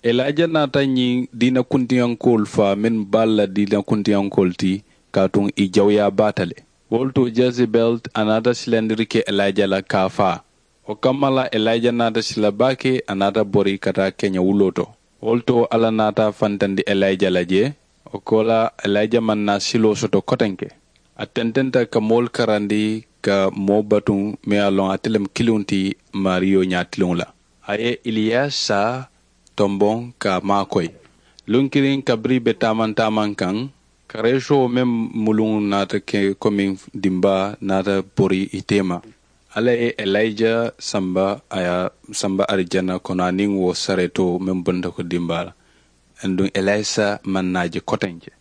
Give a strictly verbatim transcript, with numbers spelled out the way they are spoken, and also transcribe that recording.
Elija naata ñiŋ diina kuntiyankoolu faa mennu be ali la diina kuntiyankoolu ti, kaatu ì jawuyaa baata le. Wo le to jezebel a naata silandiri ke elija la ka a faa. Wo kamma la elija naata sila baake, a naata bori ka taa keña wuloo to. Wo le to alla naata a fantandi elija la jee. Wo koolaa elija maŋ naa siloo soto kotenke. A tententa ka moolu karandi, ka moo batuŋ meŋ ye a loŋ ate le mu kiliŋo ti maariyo ñaatiliŋo la. A ye iliyasa tomboŋ ka a maakoyi. Luŋ kiliŋ kabiriŋ ì be taamaŋ taamaŋ kaŋ, kareesoo meŋ muluŋo naata ke komi dimbaa naata bori ì teema. Alla ye elija samba a ye a samba arijana kono aniŋ wo sareetoo meŋ bonta ko dimbaa la. Aduŋ elisa maŋ naa je kotenke.